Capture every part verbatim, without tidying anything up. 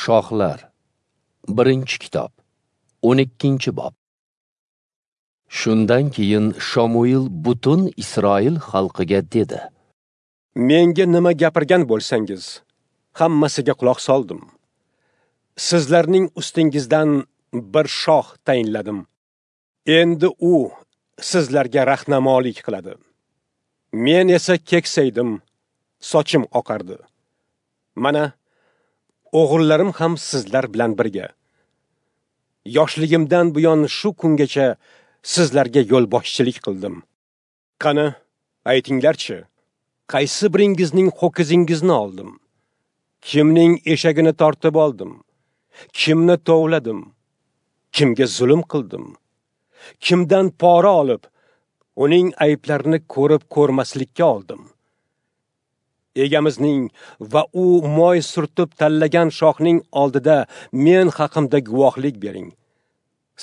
Shohlar, birinchi kitob, o'n ikkinchi bob. Shundan keyin Shomuil butun Isroil xalqiga dedi: Menga nima gapirgan bo'lsangiz, hammasiga quloq soldim. Sizlarning ustingizdan bir shoh tayinladim. Endi u sizlarga rahnamolik qiladi. Men esa keksaydim, sochim oqardi. Mana o'g'illarim ham sizlar bilan birga. Yoshligimdan buyon shu kungacha sizlarga yo'lboshchilik qildim. Qani, aytinglarchi, qaysi biringizning ho'kizingizni oldim? Kimning eshagini tortib oldim? Kimni tovladim? Kimga zulm qildim? Kimdan pora olib, uning ayblarini ko'rib ko'rmaslikka oldim? Egamizning va u moy surtib tanlagan shohning oldida men haqimda guvohlik bering.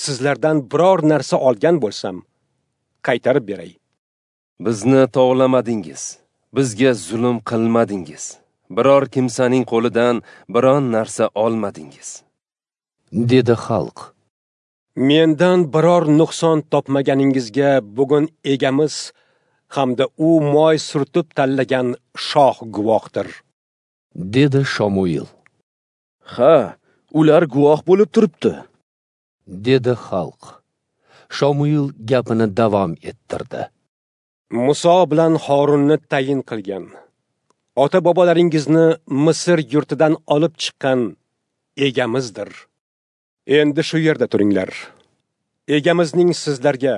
Sizlardan biror narsa olgan bo'lsam, qaytarib beray. Bizni tovlamadingiz, bizga zulm qilmadingiz. Biror kimsaning qo'lidan biron narsa olmadingiz, dedi xalq. Mendan biror nuqson topmaganingizga bugun egamiz hamda u moy surtib tanlagan shoh guvohdir, dedi Shomuil. Ha, ular guvoh bo'lib turibdi, dedi xalq. Shomuil gapini davom ettirdi. Muso bilan Horunni tayin qilgan, ota-bobolaringizni Misr yurtidan olib chiqqan egamizdir. Endi shu yerda turinglar. Egamizning sizlarga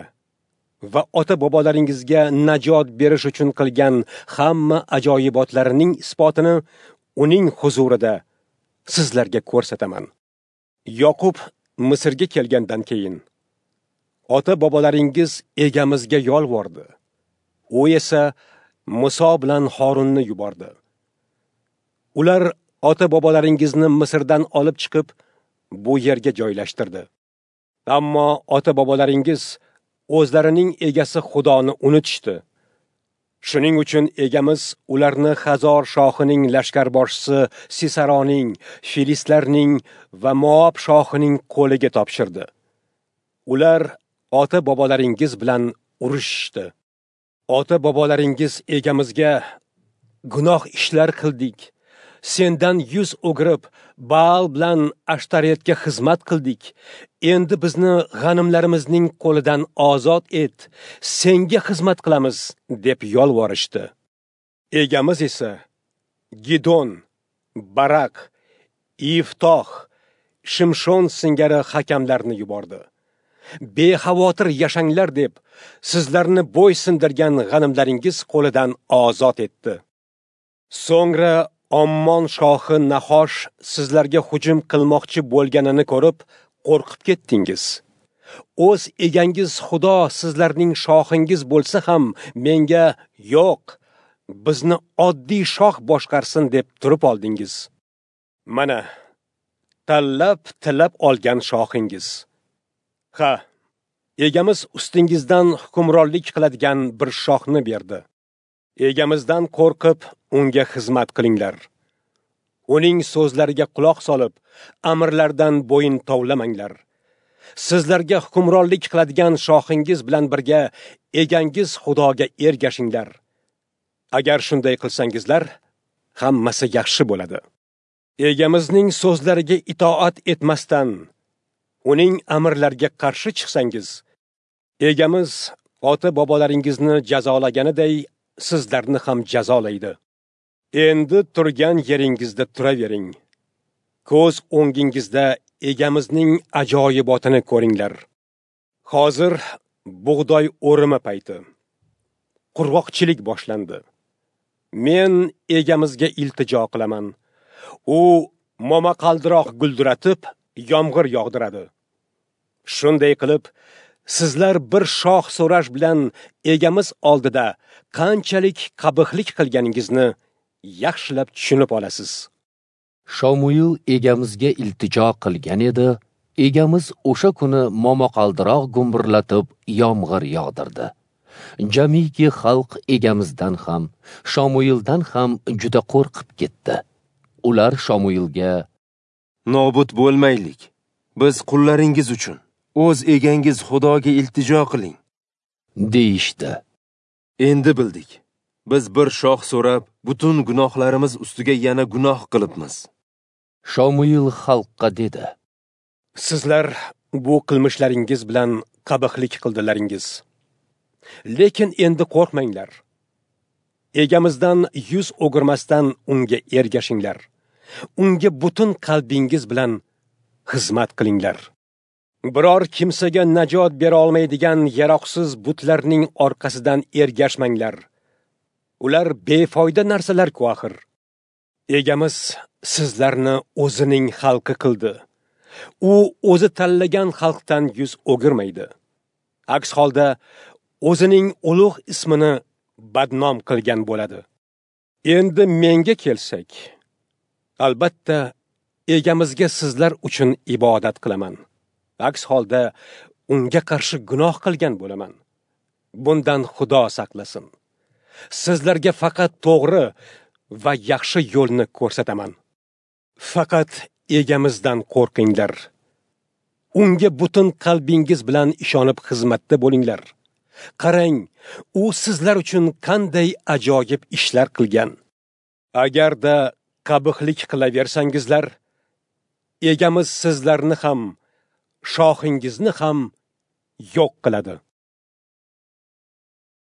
va ota-bobolaringizga najot berish uchun qilgan hamma ajoyibotlarining isbotini uning huzurida sizlarga ko'rsataman. Yoqub Misrga kelgandan keyin ota-bobolaringiz egamizga yolvordi. U esa Muso bilan Horunni yubordi. Ular ota-bobolaringizni Misrdan olib chiqib, bu yerga joylashtirdi. Ammo ota-bobolaringiz o'zlarining egasi Xudoni unutishdi. Shuning uchun egamiz ularni Hazor shohining lashkarboshisi Sisaroning, Filistlarning va Moab shohining qo'liga topshirdi. Ular ota-bobolaringiz bilan urushishdi. Ota-bobolaringiz egamizga gunoh ishlar qildik. Sendan yuz o'girib, Baal bilan Ashtaretga xizmat qildik. Endi bizni g'animlarimizning qo'lidan ozod et, senga xizmat qilamiz, deb yolvorishdi. Egamiz esa Gidon, Barak, Iftoh, Shimshon singari hakamlarni yubordi. Bexavotir yashanglar deb sizlarni bo'ysundirgan g'animlaringiz qo'lidan ozod etdi. So'ngra Ommon shohi Nahosh sizlarga hujum qilmoqchi bo'lganini ko'rib, qo'rqib ketdingiz. O'z egangiz Xudo sizlarning shohingiz bo'lsa ham menga yo'q, bizni oddiy shoh boshqarsin deb turib oldingiz. Mana tanlab tilab olgan shohingiz. Ha, egamiz ustingizdan hukmronlik qiladigan bir shohni berdi. Egamizdan qo'rqib, unga xizmat qilinglar. Uning so'zlariga quloq solib, amrlardan bo'yin tovlamanglar. Sizlarga hukmronlik qiladigan shohingiz bilan birga egangiz Xudoga ergashinglar. Agar shunday qilsangizlar, hammasi yaxshi bo'ladi. Egamizning so'zlariga itoat etmasdan, uning amrlariga qarshi chiqsangiz, egamiz ota-bobolaringizni jazolaganiday sizlarni ham jazolaydi. Endi turgan yeringizda turavering. Ko'z o'ngingizda egamizning ajoyibotini ko'ringlar. Hozir bug'doy o'rimi payti. Qurg'oqchilik boshlandi. Men egamizga iltijo qilaman. U momaqaldiroq guldiratib, yomg'ir yog'diradi. Shunday qilib, sizlar bir shoh so'rash bilan egamiz oldida qanchalik qabihlik qilganingizni yaxshilab tushunib olasiz. Shomuil egamizga iltijo qilgan edi. Egamiz o'sha kuni momaqaldiroq gumburlatib yomg'ir yog'dirdi. Jamiki xalq egamizdan ham, Shomuildan ham juda qo'rqib ketdi. Ular Shomuilga: Nobud bo'lmaylik. Biz qullaringiz uchun o'z egangiz Xudoga iltijo qiling, deyishdi. Endi bildik. Biz bir shoh so'rab, butun gunohlarimiz ustiga yana gunoh qilibmiz. Shomuil xalqqa dedi: Sizlar bu qilmishlaringiz bilan qabihlik qildilaringiz. Lekin endi qo'rqmanglar. Egamizdan yuz o'girmasdan unga ergashinglar. Unga butun qalbingiz bilan xizmat qilinglar. Biror kimsaga najot bera olmaydigan yaroqsiz butlarning orqasidan ergashmanglar. Ular befoyda narsalar-ku axir. Egamiz sizlarni o'zining xalqi qildi. U o'zi tanlagan xalqdan yuz o'girmaydi. Aks holda o'zining ulug' ismini badnom qilgan bo'ladi. Endi menga kelsak, albatta egamizga sizlar uchun ibodat qilaman. Aks holda unga qarshi gunoh qilgan bo'laman. Bundan Xudo saqlasin. Sizlarga faqat to'g'ri va yaxshi yo'lni ko'rsataman. Faqat egamizdan qo'rqinglar. Unga butun qalbingiz bilan ishonib xizmatda bo'linglar. Qarang, u sizlar uchun qanday ajoyib ishlar qilgan. Agarda qabihlik qilaversangizlar, egamiz sizlarni ham, shohingizni ham yo'q qiladi.